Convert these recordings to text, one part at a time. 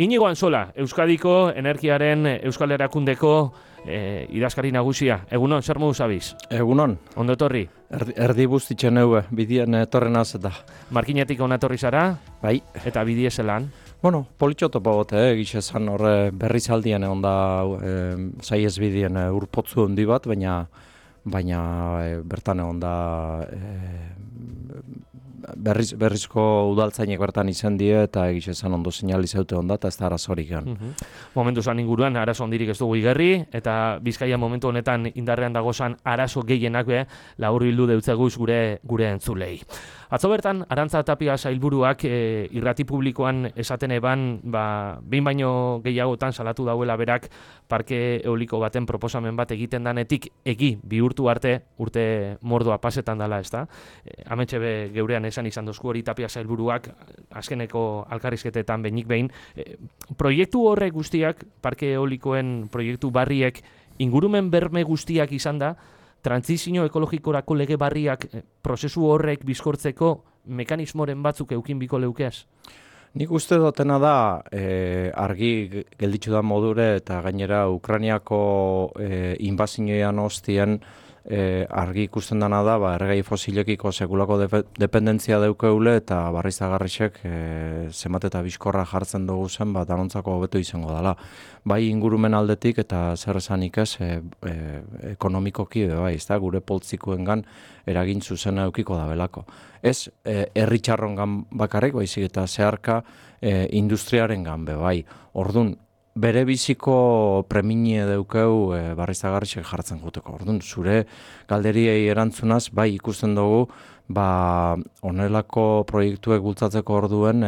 Inigo Antzola, Euskadiko Energiaren Euskal Erakundeko idazkari nagusia. Egunon, zer modu zabiz? Egunon. Ondo etorri? Erdi buztitzen eue, bidien etorren azeta. Markinetik onatorri zara? Bai. Eta bidie zelan? Bueno, politxotopo bote, gizezan horre berriz aldien egon da zaiez bidien urpotzu handi bat, baina bertan egon da berrizko udaltzainek bertan izan die eta egizezan ondo seinalizaute onda eta ez da arazorik gan. Momentu zan inguruan arazo ondirik ez dugu igerri eta Bizkaia momentu honetan indarrean dagozan arazo gehienak laburbildu deutzeguz gure entzulei. Atzo bertan, Arantza Tapia sailburuak irrati publikoan esaten eban, behin baino gehiagotan salatu dauela berak parke eoliko baten proposamen bat egiten danetik egi bihurtu arte urte mordoa pasetan dela, ezta? Ametxe geurean esan izan dozku hori Tapia sailburuak azkeneko alkarrizketetan behinik behin. Proiektu horrek guztiak, parke eolikoen proiektu barriek ingurumen berme guztiak izan da, trantsizio ekologikorako lege barriak prozesu horrek bizkortzeko mekanismoren batzuk eukin biko leukeaz? Nik uste dutena da argi gelditzu da modure eta gainera Ukrainiako inbazioan hostien argi ikusten dana da erregai fosilekiko sekulako dependentzia daukeule eta barriztagarrisek zenbat eta bizkorra jartzen dugu zen danontzako hobeto izango dela. Bai ingurumen aldetik eta zer esanik ez ekonomikoki bai, gure poltsikoengan eragin zuzena eukiko da belako. Ez herritxarrongan bakarrik baizik eta zeharka industriarengan bai. Ordun bere biziko preminie daukeu barriztagarrisek jartzen guteko. Orduan, zure galderiei erantzunaz, bai ikusten dugu, honelako proiektuek bultzatzeko orduen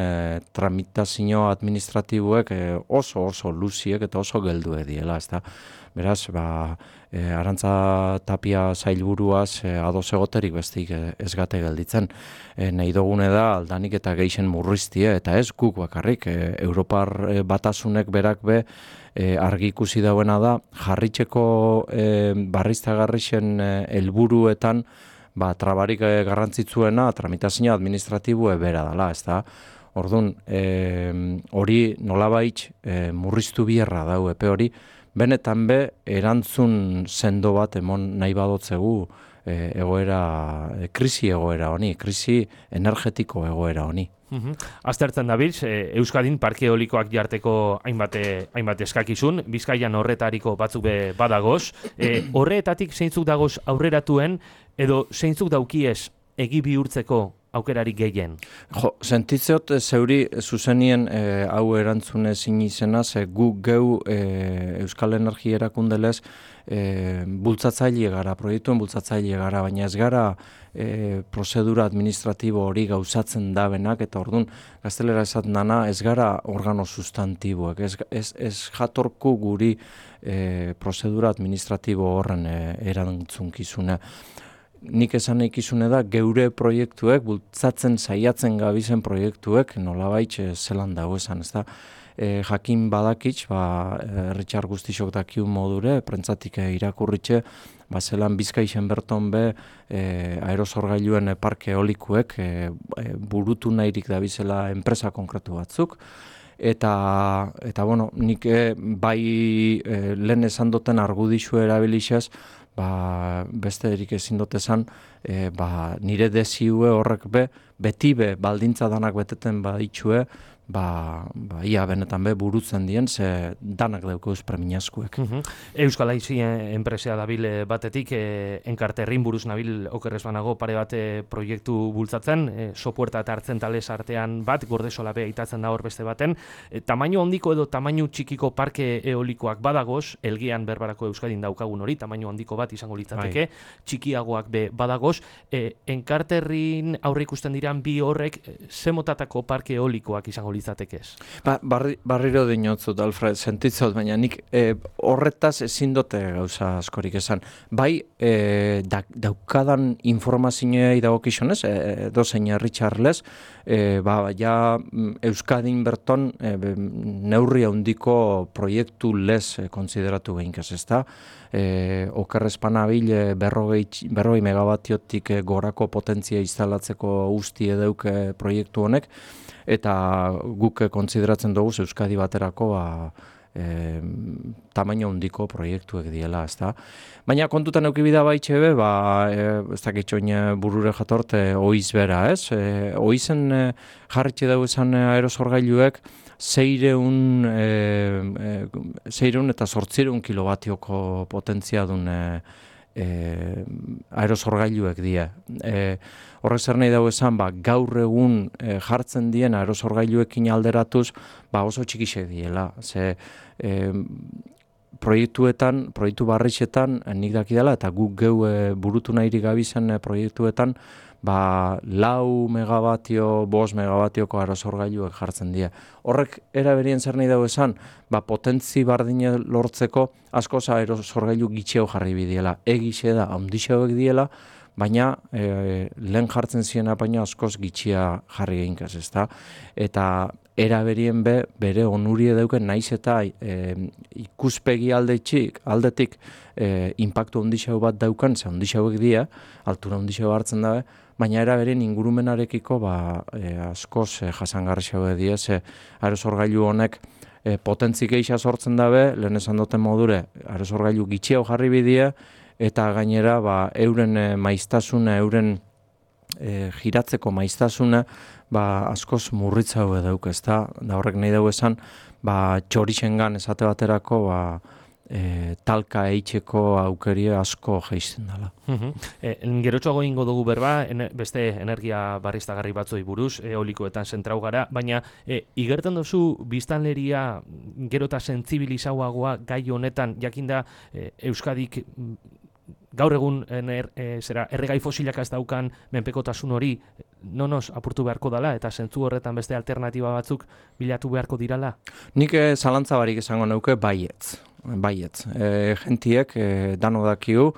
tramitazio administratiboek oso luziek eta oso geldue diela, ezta? Beraz, Arantza Tapia sailburuaz ados egoterik bestik ez gate gelditzen. Nahi dugune da aldanik eta geixen murriztie, eta ez guk bakarrik. Europar batasunek berak argi ikusi dauena da, jarritzeko barriztagarrixen helburuetan trabarik garrantzitsuena tramitazio administratiboe bera dela, ezta? Orduan, hori nolabait murriztu bierra dau epe hori, benetan erantzun sendo bat emon nahi badotzegu krisi egoera honi, krisi energetiko egoera honi. Aztertzen dabiltz, Euskadin parke eolikoak jarteko hainbat eskakizun, Bizkaian horretariko batzuk badagoz. Horretatik zeintzuk dagoz aurreratuen edo zeintzuk daukiez egi bihurtzeko aukerarik gehien? Sentitzeot zeuri zuzenien hau erantzune zin izena, gu geu Euskal Energia erakundelez bultzatzaile gara, proiektuen bultzatzaile gara, baina ez gara prozedura administratibo hori gauzatzen dabenak, eta orduan gaztelera esaten dana ez gara organo sustantiboek, ez jatorku guri prozedura administratibo horren erantzunkizune. Nik esan ikizune da, geure proiektuek, bultzatzen saiatzen gabizen proiektuek, nolabait zelan dago esan, ez da? Jakin badakitz, Richard Guztisok dakiun modure, prentzatik irakurritxe, zelan Bizkaixen berton aerosorgailuen parke eolikuek burutu nahirik dabizela enpresa konkretu batzuk, eta nik bai lehen esan duten argudixu erabilixez, beste erik ezin dut esan, nire desiue horrek beti baldintza danak beteten baditxue, ia benetan burutzen dien, ze danak daukeuz premiazkuek. Euskal Aizi enpresea dabil batetik, enkarterrin buruz nabil okerrez banago pare bat proiektu bultzatzen, sopuerta eta hartzen talez artean bat, gordesola itatzen da hor beste baten, tamaino handiko edo tamaino txikiko parke eolikoak badagoz, elgean berbarako Euskadin daukagun hori, tamaino handiko bat izango litzateke, txikiagoak badagoz, enkarterrin aurre ikusten diran bi horrek, zemotatako parke eolikoak izango litzatekez? Barriro dinotzut, Alfred, sentitzot, baina nik horretaz ezin dute gauza askorik esan. Bai, daukadan informazioei dagokizunez, dozein Richardles, Euskadin berton neurri handiko proiektu lez konsideratu behinkaz, ezta? Okerrezpanabil berrogei megabatiotik gorako potentzia instalatzeko usti edeuke proiektu honek, eta guk konsideratzen dugu Euskadi baterako tamaino handiko proiektuek diela, ezta. Baina kontutan eduki bida baitxe be, ez dakitxoin burure jatorte oiz bera, ez? Oizen jarritxe dugu esan aerosorgailuek 600 eta 800 kilobatioko potentzia duen aerosorgailuek die. Horrek zer nahi dago esan, gaur egun jartzen dien aerosorgailuekin alderatuz, oso txikixek diela. Ze proiektu barritxetan nik dakidala, eta guk geu burutu nahirik gabizen proiektuetan, 4 megabatio, 5 megabatioko aerosorgailuek jartzen dira. Horrek eraberien zer nahi dago esan, potentzi bardine lortzeko askoz aerosorgailu gitxeo jarri bidiela. Egixe da, handixeoek diela, baina lehen jartzen ziena baina askoz gitxia jarri eginkaz, ezta? Eta eraberien bere onurie dauken naiz eta ikuspegi aldetik inpaktu handixeo bat daukan, ze handixeoek dira, altura handixeo hartzen dabe, baina eraberien ingurumenarekiko askoz jasangarrixeoek dira, ze aerosorgailu honek potentzi geixa sortzen dabe, lehen esan duten modure, aerosorgailu gitxeo jarri bidea, eta gainera euren maiztasuna, euren giratzeko maiztasuna askoz murritza hau dauk, ezta? Da horrek nahi dugu esan, txorixengan esate baterako talka eitzeko aukeria asko geizten dela. Gerotxoago ingo dugu berba, beste energia barriztagarri batzoi buruz, eolikoetan zentrau gara, baina igerten duzu biztanleria gero eta sentzibilizauagoa gai honetan, jakinda Euskadik gaur egun erregai fosilak ez daukan menpekotasun hori nonoz apurtu beharko dela eta zentzu horretan beste alternatiba batzuk bilatu beharko dirala? Nik zalantza barik esango neuke baietz. Gentiek dano dakigu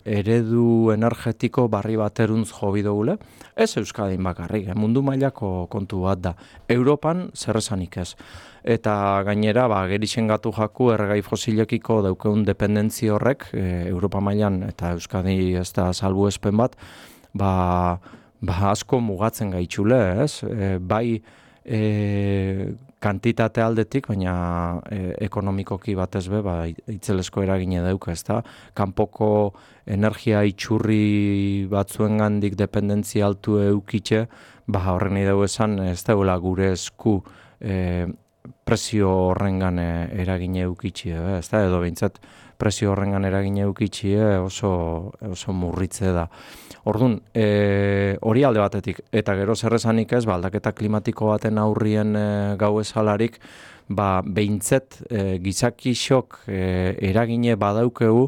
eredu energetiko barri bateruntz jobi dugule. Ez Euskadin bakarrik, mundu mailako kontu bat da. Europan zer esanik ez. Eta gainera, gerixen gatu jaku erregai fosilekiko daukeun dependentzia horrek, Europa mailan eta Euskadi ez da salbuespen bat, asko mugatzen gaitxule, ez? Bai kantitate aldetik, baina ekonomikoki batez be, itzelesko eragine dauka, ez da? Kanpoko energia itxurri batzuengandik dependentzia altu eukitxe, horren nahi dugu esan, ez dagoela gure esku presio horrengan eragine eukitxe, ez da? Edo behintzat presio horrengan eragine eukitxe oso murritze da. Orduan, hori alde batetik, eta gero zerrezanik ez, aldaketa klimatiko baten aurrien gau ezalarik, behintzet gizakixok eragine badaukegu,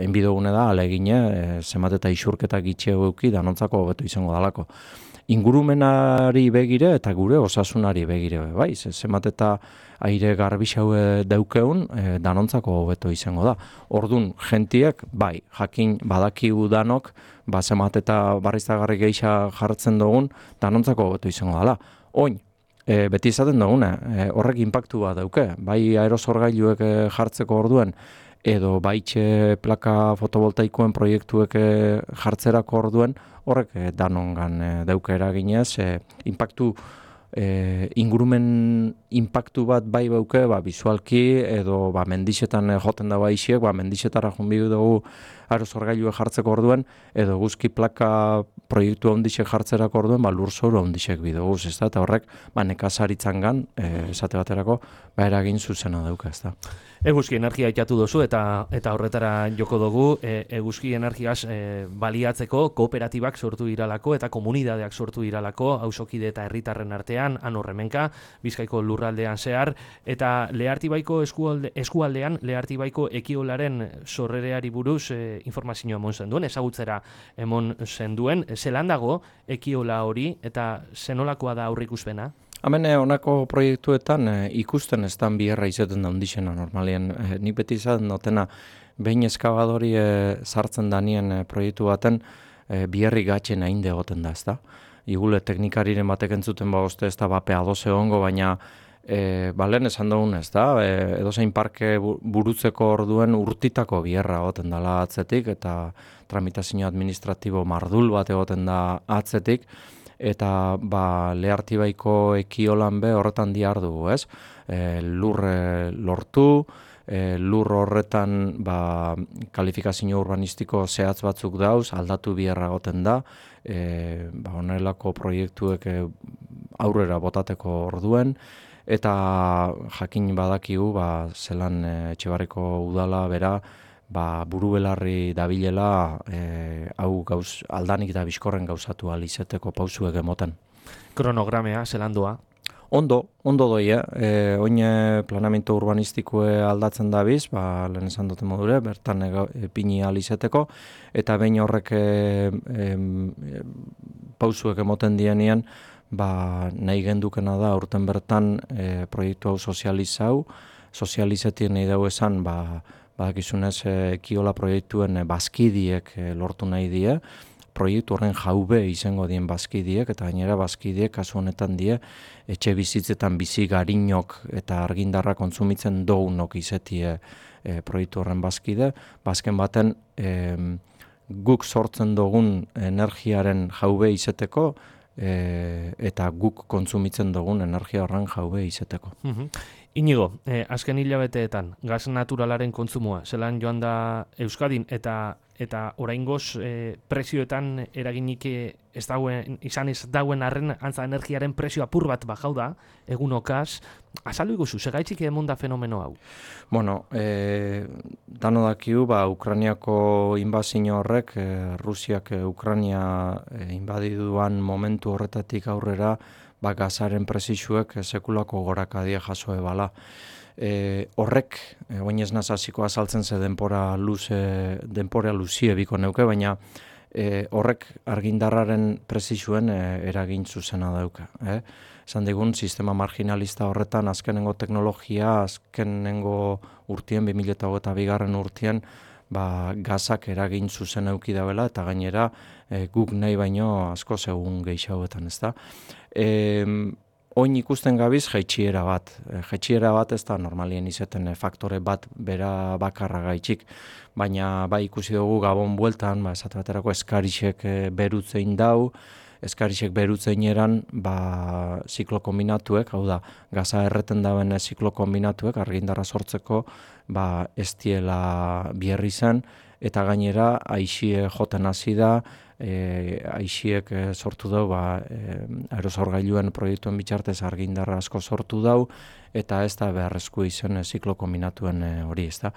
enbidogune da, alegine, zemat eta isurketa gitxeo euki, danontzako hobeto izango dalako. Ingurumenari begire eta gure osasunari begire, bai, zemat eta aire garbixau daukeun, danontzako hobeto izango da. Ordun gentiek, jakin badakigu danok, zemat eta barriztagarri geixa jartzen dugun, danontzako hobeto izango dela. Oin, beti izaten duguna, horrek inpaktu bat dauke, bai aerosorgailuek jartzeko orduen, edo baitxe plaka fotovoltaikoen proiektuek jartzerako orduen, horrek danongan dauke eraginez, ingurumen inpaktu bat bai bauke, bizualki, edo mendixetan joten da baixiek, mendixetara junbidu dugu aerosorgailue jartzeko orduen, edo guzki plaka proiektu ondixek jartzerako orduen, lurzoru ondixek bidoguz, ez da, eta horrek, nekazaritzangan, esate baterako, eragin zuzena dauka, ez da. Eguzki energia itatu dozu eta horretara joko dugu, eguzki energiaz baliatzeko kooperatibak sortu iralako eta komunidadeak sortu iralako, hausokide eta herritarren artean, anorremenka, Bizkaiko lurraldean zehar, eta Lehartibaiko eskualdean, Lehartibaiko ekiolaren sorrereari buruz informazioa emon zenduen, ezagutzera emon zenduen, zelan dago ekiola hori eta zenolakoa da aurrikuspena? Hemen honako proiektuetan ikusten ez dan biherra izaten da ondixena normalien. Nik beti izaten dutena behin eskabadori sartzen danien proiektu baten biherri gatxen hainde egoten da, ez da. Igule teknikariren batek entzuten oste ez da bapea doze hongo, baina lehen esan dugun ez da, edozein parke burutzeko orduen urtitako biherra egoten dela atzetik eta tramitazio administratibo mardul bat egoten da atzetik. eta Lehartibaiko ekiolan be horretan diardu, ez? Lur lortu, lur horretan kalifikazio urbanistiko zehatz batzuk dauz, aldatu biherra goten da, honelako proiektuek aurrera botateko orduen, eta jakin badakigu zelan Etxebarriko udala bera buru belarri dabilela hau aldanik da bizkorren gauzatu alizeteko pausuek emoten. Kronogramea, zelan doa? Ondo doia. Oin planamento urbanistikoe aldatzen dabiz, lehen esan duten modure, bertan pini alizeteko, eta behin horrek pausuek emoten dienean, nahi gendukena da urten bertan proiektu hau sozializetien nahi dugu esan, badakizunez ekiola proiektuen bazkidiek lortu nahi die, proiektu horren jaube izango dien bazkidiek, eta gainera bazkidiek kasu honetan die etxe bizitzetan bizi garinok eta argindarra kontsumitzen dounok izetie proiektu horren bazkide. Bazken baten guk sortzen dugun energiaren jaube izeteko eta guk kontsumitzen dugun energia horren jaube izeteko. Inigo, azken hilabeteetan gaz naturalaren kontsumoa, zelan joan da Euskadin eta oraingoz prezioetan eraginik izan ez dauen arren antza energiaren prezio apur bat bajau da, egunokaz, azaldu iguzu, segaitzik emon da fenomeno hau? Bueno, dano dakiu, Ukrainiako inbazio horrek, Rusiak Ukraina inbadiduan momentu horretatik aurrera, gazaren prezisuek sekulako gorakadia jaso ebala. Horrek, oin ez nazaziko azaltzen ze denpora luzie biko neuke, baina horrek argindarraren prezisuen eragin zuzena dauka. Esan digun, sistema marginalista horretan azkenengo teknologia, azkenengo urtien, 2022 urtien, gazak eragin zuzen euki dauela, eta gainera guk nahi baino asko segun gehiagoetan, ez da. Oin ikusten gabiz jaitxiera bat. Jaitxiera bat ez da normalien izeten faktore bat bera bakarra gaitxik, baina ikusi dugu Gabon bueltan, esate baterako eskarixek berutzein dau, eskarixek berutzein eran ziklo kombinatuek, hau da, gaza erreten dauen ziklo kombinatuek argindarra sortzeko ez diela bierri zen, eta gainera aixie joten hasi da, aixiek sortu dau, aerosorgailuen proiektuen bitxartez argindarra asko sortu dau, eta ez da beharrezko izen ziklo kombinatuen hori, ez da.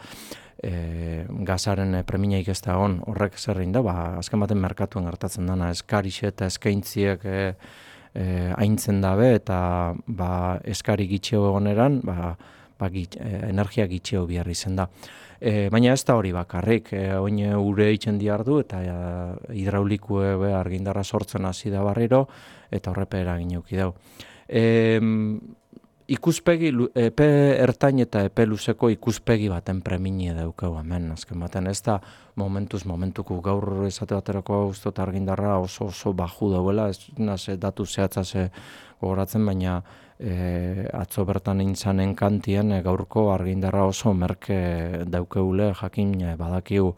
Gazaren preminaik ez da horrek zerrein da, azken baten merkatuen gertatzen dana, eskarixe eta eskaintziek aintzen dabe, eta eskari gitxeo egoneran, energia gitxeo biharri zen da. Baina ez da hori bakarrik, oin ure eitzen diardu eta hidraulikue argindarra sortzen hasi da barriro eta horrepe eragin euki dau. Ikuspegi, epe ertain eta epe luzeko ikuspegi baten preminie daukau hemen, azken baten ez da momentuko gaur esate baterako guztot argindarra oso baju dauela, ez naz datu zehatzaz gogoratzen, baina atzo bertan intzanen kantien gaurko argindarra oso merke daukeule jakin badakigu.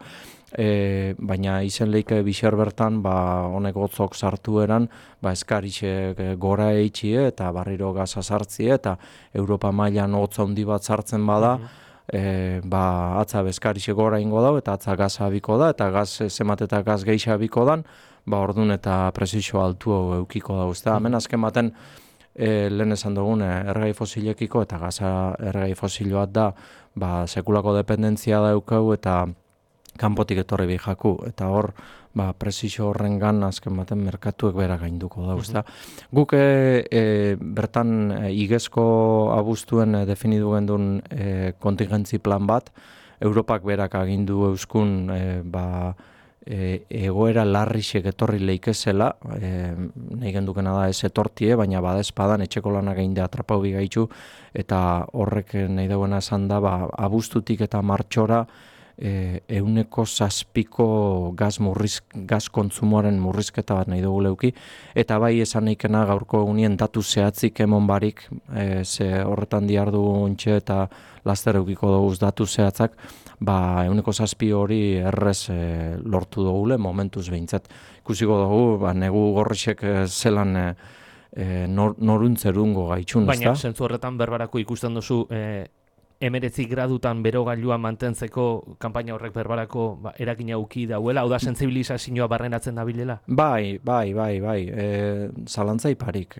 Baina izen leike bixer bertan honek gotzok sartu eran eskarixek gora eitxie eta barriro gaza sartzie eta Europa mailan hotza handi bat sartzen bada, atza eskarixek gora ingo dau eta atza gaza abiko da eta gaz zemat eta gaz geixa abiko dan, ordun eta presizio altu eukiko da. Hemen azken baten lehen esan dugun erregai fosilekiko eta gaza erregai fosil bat da sekulako dependentzia daukau eta kanpotik etorri bihaku, eta hor presizio horrengan azken baten merkatuek bera gainduko da. Guk bertan igezko abuztuen definidu gendun kontingentzi plan bat, Europak berak agindu euskun egoera larrixek etorri leikezela, nahi gendukena da ez etortie, baina badezpadan etxeko lanak eginde atrapau bigaitu, eta horrek nahi dauena esan da, abuztutik eta martxora 6% gaz kontsumoaren murrizketa bat nahi dugu leuki, eta bai esan naikena gaurko egunien datu zehatzik emon barik, ze horretan diardu ontxe eta laster eukiko dugu datu zehatzak, 6% hori errez lortu dugule, momentuz behintzat. Ikusiko dugu, negu gorrixek zelan noruntzerungo gaitxun, ezta? Baina, zentzu horretan berbarako ikusten duzu 19 gradutan berogailua mantentzeko kanpaina horrek berbarako eragina uki dauela, hau da sentsibilizazioa barrenatzen dabilela? Bai. Zalantza iparik.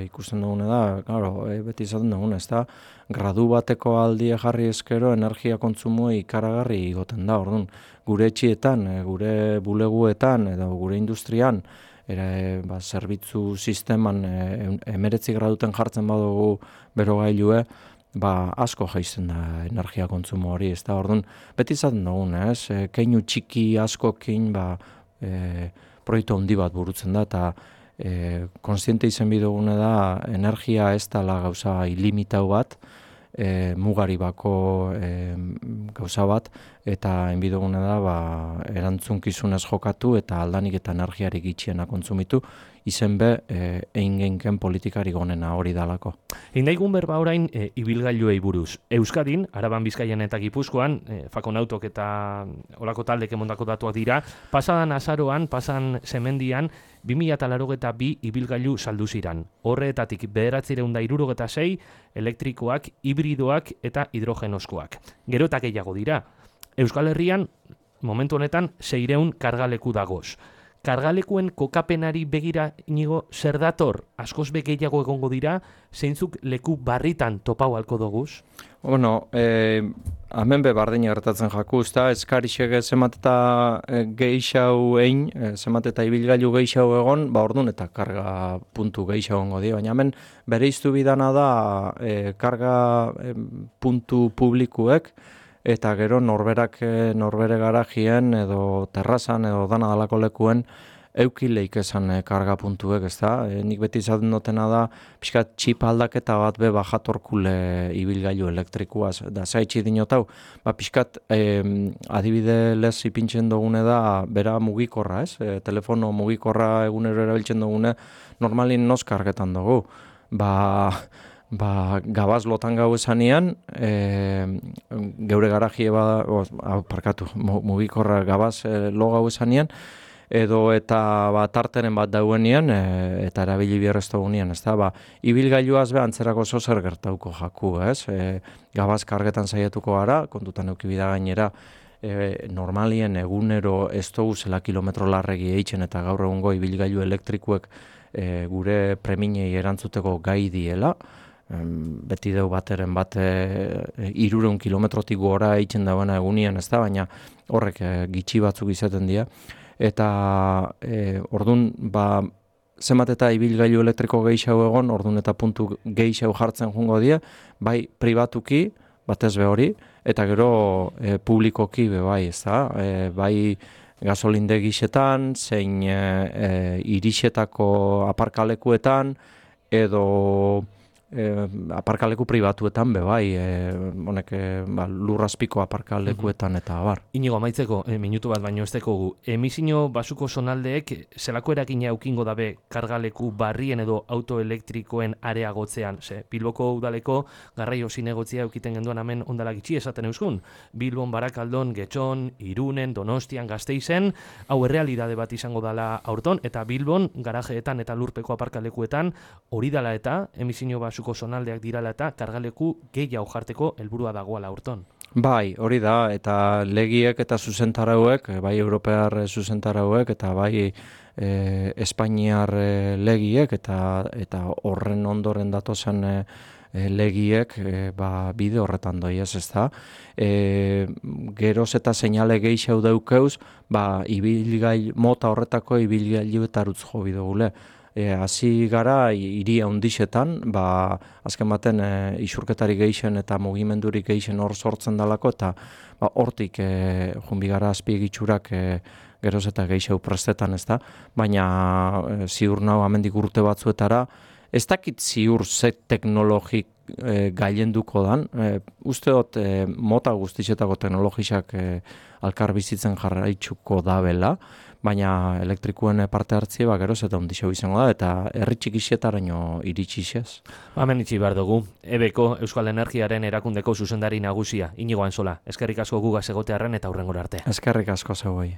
Ikusten dugune da, claro, beti izaten dugune, ezta? Gradu bateko aldie jarri eskero energia kontsumo ikaragarri igoten da, orduan. Gure etxietan, gure buleguetan edo gure industrian, zerbitzu sisteman 19 graduten jartzen badugu berogailue, asko jaisten da energia kontsumo hori, ez da, orduan, beti izaten dugun, keinu txiki askokin, proiektu handi bat burutzen da, eta konstiente izen bidugune da, energia ez dela gauza ilimitau bat, mugari bako gauza bat, eta enbidugune da, erantzunkizunez jokatu eta aldanik eta energiarik itxiena kontsumitu, izen egin genken politikari gonena hori dalako. Indaigun berba orain ibilgailuei buruz. Euskadin, Araban, Bizkaian eta Gipuzkoan, Fakonautok eta olako taldek emondako datuak dira, pasadan azaroan, pasan semendian, 2082 ibilgailu saldu ziran. Horretatik 976 elektrikoak, hibridoak eta hidrogenoskoak. Gero eta gehiago dira. Euskal Herrian, momentu honetan, 600 kargaleku dagoz. Kargalekuen kokapenari begira inigo zer dator? Askoz gehiago egongo dira, zeintzuk leku barritan topau halko doguz? Bueno, hemen bardina gertatzen jaku, eskarixek zemateta gehixau egin, zemateta ibilgailu gehixau egon, ordun eta karga puntu gehixau egongo dira, baina hemen bere iztu bidana da karga puntu publikuek, eta gero norbere garajien edo terrazan edo dana dalako lekuen eukileik esan karga puntuek, ez da? Nik beti izaten dutena da, pixkat txip aldaketa bat bajatorkule ibilgailu elektrikuaz. Da, zaitxi dinotau, pixkat adibide lez ipintzen dugune da, bera mugikorra, ez? Telefono mugikorra egunero erabiltzen dugune, normalin noz kargetan dugu. Gabaz lotan gau esanean, geure garajie mugikorra gabaz lo gau esanean, edo eta tarteren bat dauenean, eta erabili bierreztu gunean, ez da, ibilgailuaz antzerako zozer gertauko jaku, ez? Gabaz kargetan saietuko gara, kontutan eukibida gainera, normalien egunero ez dugu zela kilometro larregi eitzen eta gaur egungo ibilgailu elektrikuek gure preminei erantzuteko gai diela, beti deu bateren bat 300 kilometrotik gora eitzen dauena egunien, ez da, baina horrek gitxi batzuk izaten dira. Eta ordun zenbat eta ibilgailu elektriko gehiago egon, ordun eta puntu gehiago jartzen joango dira, bai pribatuki, batez be hori, eta gero publikoki bai, ez da, bai gasolindegixetan, zein irixetako aparkalekuetan, edo aparkaleku pribatuetan bai, honek lurrazpiko aparkalekuetan eta abar. Inigo amaitzeko, minutu bat baino ez dekogu, emisio basuko zonaldeek zelako eragina eukingo dabe kargaleku barrien edo autoelektrikoen areagotzean, ze Bilboko udaleko garraio zinegotzia eukiten genduan hemen ondala gitxi esaten euskun, Bilbon, Barakaldon, Getxon, Irunen, Donostian, Gasteizen, hau errealidade bat izango dala aurton, eta Bilbon, garajeetan eta lurpeko aparkalekuetan hori dala eta emisio basuko zonaldeak dirala eta kargaleku gehiago jarteko helburua dagoala aurton. Bai, hori da, eta legiek eta zuzentarauek, bai europear zuzentarauek, eta bai espainiar legiek, eta horren ondoren datozen legiek bide horretan doiez, ez da. Geroz eta seinale gehiago daukeuz, mota horretako ibilgailuetarutz jo bidogule. Hasi gara hiria hundixetan, azken baten isurketari gehixen eta mugimendurik gehixen hor sortzen dalako, eta hortik junbigara azpiegitxurak geroz eta gehiago prestetan, ez da, baina ziur nau amendik urte batzuetara, ez dakit ziur ze gailenduko dan. Uste dut mota guztizetako teknologiak alkar bizitzen jarraitzuko dabela, baina elektrikuen parte hartzie geroz eta ondixo izango da, eta herri txikisetaraino iritsi xez. Hemen itxi behar dugu, EBEko Euskal Energiaren erakundeko zuzendari nagusia, Inigo Ansola. Eskerrik asko gugaz egotearren eta hurrengora arte. Eskerrik asko zeuei.